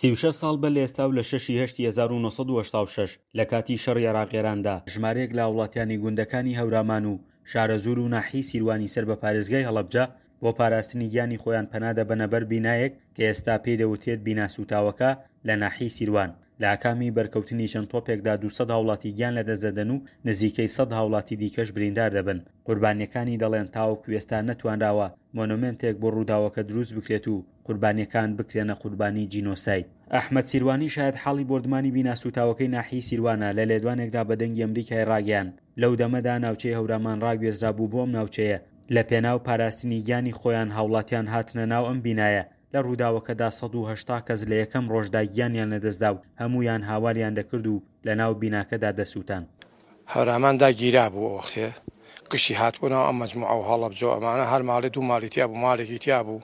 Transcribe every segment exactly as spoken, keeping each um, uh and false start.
سی و شەش ساڵ بەر لە ئێستا و لە شەشی هەشتی هەزار و نۆ سەد و هەشتا و شەش لە کاتی شەڕی عێراق-ئێراندا، ژمارەیەک لە هاوڵاتیانی گوندەکانی هەورامان و شارەزوور و ناحیەی سیروانی سەر بە پارێزگای هەڵەبجە بۆ پاراستنی گیانی خۆیان پەنا دەبەنە بەر بینایەک کە ئێستا پێی دەوترێت بینا سووتاوەکە لە ناحیەی سیروان. لە ئاکامی بەرکەوتنی چەند تۆپێکدا دوو سەد هاوڵاتی گیان لەدەست دەدەن و نزیکەی سەد هاوڵاتی دیکەش بریندار دەبن. قوربانییەکانی دەڵێن تاوەکو ئێستا نەتوانراوە مۆنۆمێنتێک بۆ ڕووداوەکە دروست بکرێت و قوربانییەکان بکرێنە قوربانی جینۆساید. ئەحمەد سیروانی شایەتحاڵی بۆردمانی بینا سووتاوەکەی ناحیەی سیروانە لە لێدوانێکدا بە دەنگی ئەمریکای ڕاگەیاند، لەو دەمەدا ناوچەی هەورامان ڕاگوێزرابوو بۆ ئەم ناوچەیە، لە پێناو پاراستنی گیانی خۆیان هاوڵاتیان هاتنە ناو ئەم بینایە، لە ڕووداوەکەدا سەد و هەشتا کەس لە یەکەم ڕۆژدا گیانیان لەدەستدا و هەموویان هاواریان دەکرد و لەناو بیناکەدا دەسووتان. هەورامان دا گیرابوو ئەو وەختێ گشتی هاتبوو ناو ئەم مەجموعە و هەڵەبجە و ئەمانە هەر ماڵێ دوو ماڵی تیا بوو ماڵێکی تیا بوو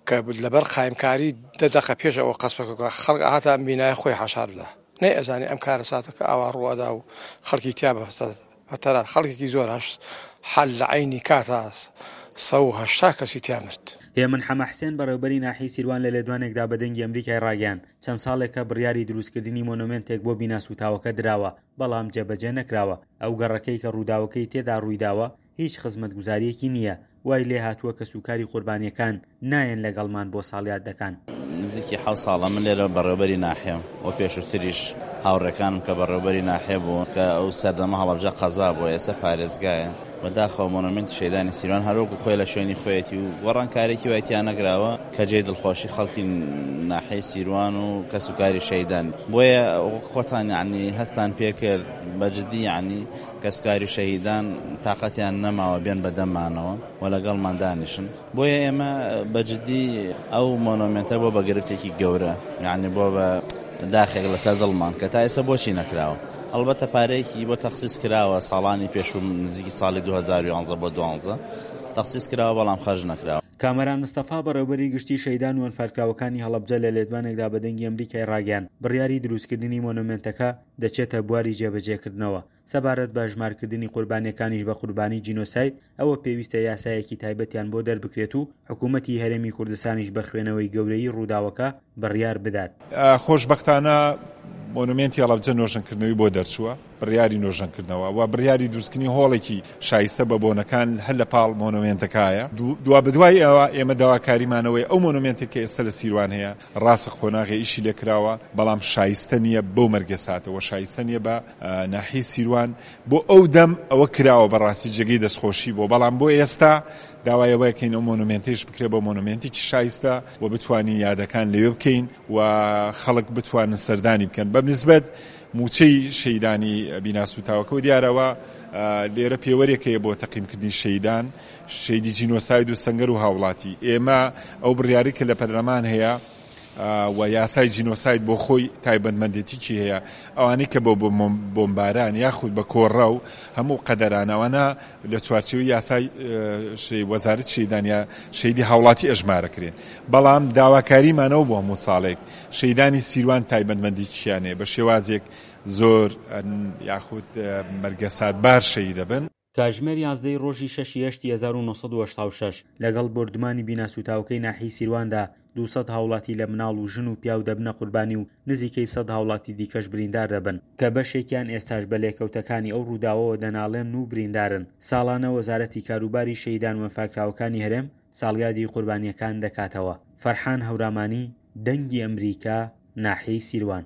کە لەبەر قایمکاری دە دەقە پێش ئەوە قەسفەکە خەڵک ئەهاتە ئەم بینایە خۆی حەشار بدا نەیئەزانی ئەم کارەساتە کە ئاوا ڕوو ئەدا و خەڵکی تیا بە فترات خەڵکێکی زۆر هەشت حەل لە عەینی کاتا سەد و هەشتا کەسی تیا مرد. هێمن حەمە حسێن بەڕێوبەری ناحیەی سیروان لە لێدوانێکدا بە دەنگی ئەمریکای ڕاگەیاند، چەند ساڵێکە بڕیاری دروستکردنی مۆنۆمێنتێک بۆ بینا سووتاوەکە دراوە، بەڵام جێبەجێ نەکراوە، ئەو گەڕەکەی کە ڕووداوەکەی تێدا ڕوویداوە هیچ خزمەتگوزارییەکی نییە، وای لێهاتووە کەسوکاری قوربانییەکان نایەن لەگەڵمان بۆ ساڵیادەکان. نزیکی حەوت ساڵە من لێرە بەڕێوەبەری ناحیەم و پێشووتریش هاوڕێکانم کە بەڕێوەبەری ناحیە بوون کە ئەو سەردەمە هەڵەبجە قەزا بووە ئێستا پارێزگایە، بەداخەوە مۆنۆمێنتی شەهیدانی سیروان هەر وەکو خۆی لە شوێنی خۆیەتی و گۆڕانکاریی وای تیا نەکراوە کە جێی دڵخۆشی خەڵکی ناحیەی سیروان و کەسوکاری شەهیدان بۆیە وەک خۆتان یەعنی هەستان پێکرد بە جدی یەعنی کەسوکاری شەهیدان تاقەتیان نەماوە بێن بە دەممانەوە و لەگەڵمان دانیشن بۆیە ئێمە بە جدی ئەو مۆنۆمێنتە بۆ بە گرفتێکی گەورە یەعنی بۆ بە داخێک لەسەر دڵمان کە تا ئێستا بۆچی نەکراوە ئەڵبەتە پارەیەکی بۆ تەخسیس کراوە ساڵانی پێشوو نزیکی ساڵی دوو هەزار و یانزە بۆ دوانزە تەخسیس کراوە بەڵام خەرج نەکراوە. کامەران مستەفا بەڕێوبەری گشتی شەهیدان و ئەنفالکراوەکانی هەڵەبجە لە لێدوانێکدا بە دەنگی ئەمریکای ڕاگەیاند، بڕیاری دروستکردنی مۆنۆمێنتەکە دەچێتە بواری جێبەجێکردنەوە، سەبارەت بە هەژمارکردنی قوربانییەکانیش بە قوربانی جینۆساید، ئەوە پێویستە یاسایەکی تایبەتیان بۆ دەربکرێت و حکوومەتی هەرێمی کوردستانیش بە خوێنەوەی گەورەیی ڕووداوەکە بڕیار بدات. خۆشبەختانە مۆنۆمێنتی هەڵەبجە نۆژەنکردنەوەی بۆ دەرچووە، بڕیاری نۆژەنکردنەوە و بڕیاری دروستکردنی هۆڵێکی شایستە بە بۆنەکان هەر لە پاڵ مۆنۆمێنتەکایە. دوابەدوای ئەوە ئێمە داواکاریمانەوەی ئەو مۆنۆمێنتێک کە ئێستا لە سیروان هەیە، ڕاستە قۆناغێ ئیشی لێکراوە، بەڵام شایستە نییە بەو مەرگەساتەوە، شایستە نییە بە ناحیەی سیروان بۆ ئەو دەم ئەوە کراوە بەڕاستی جێگەی دەستخۆشی بۆ، بەڵام بۆ ئێستا داوای ئەوە ئەکەین ئەو مۆنۆمێنتەیش بکرێت بە مۆنۆمێنتێکی شایستە و بتوانین یادەکان لەوێ بکەین و خەڵک بتوانن سەردانی بکەن. بە نسبەت موچەی شەهیدانی بینا سووتاوەکەوە دیارەوە لێرە پێوەرێک هەیە بۆ تەقیمکردنی شەهیدان، شەهیدی جینۆساید و سەنگەر و هاوڵاتی. ئێمە ئەو بڕیارەی کە لە پەرلەمان هەیە و یاسای جینۆساید بۆ خۆی تایبەتمەندێتیکی هەیە، ئەوانەی کە بە بۆمباران یاخود بە کۆڕە و هەموو قەدەرانە ئەوانە لە چوارچێوەی یاسای وەزارەتی شەهیدان یا شەهیدی هاوڵاتی ئەژمارەکرێن. بەڵام داواکاریمانەوە بۆ هەموو ساڵێک شەهیدانی سیروان تایبەتمەندیکیان هەیە بە شێوازێک زۆر یاخود مەرگەساتبار شەهید دەبن. کاتژمێر یازدە ی ڕۆژی شەشی هەشتی هەزار و نۆ سەد و هەشتا و شەش لەگەڵ بۆردومانی بینا سووتاوەکەی ناحیەی سیرواندا دوو سەد هاوڵاتی لە مناڵ و ژن و پیاو دەبنە قوربانی و نزیکەی سەد هاوڵاتی دیکەش بریندار دەبن کە بەشێکیان ئێستاش بە لێکەوتەکانی ئەو ڕووداوەوە دەناڵێنن و بریندارن. ساڵانە وەزارەتی کاروباری شەهیدان و ئەنفالکراوەکانی هەرێم ساڵیادی قوربانییەکان دەکاتەوە. فەرحان هەورامانی، دەنگی ئەمریکا، ناحیەی سیروان.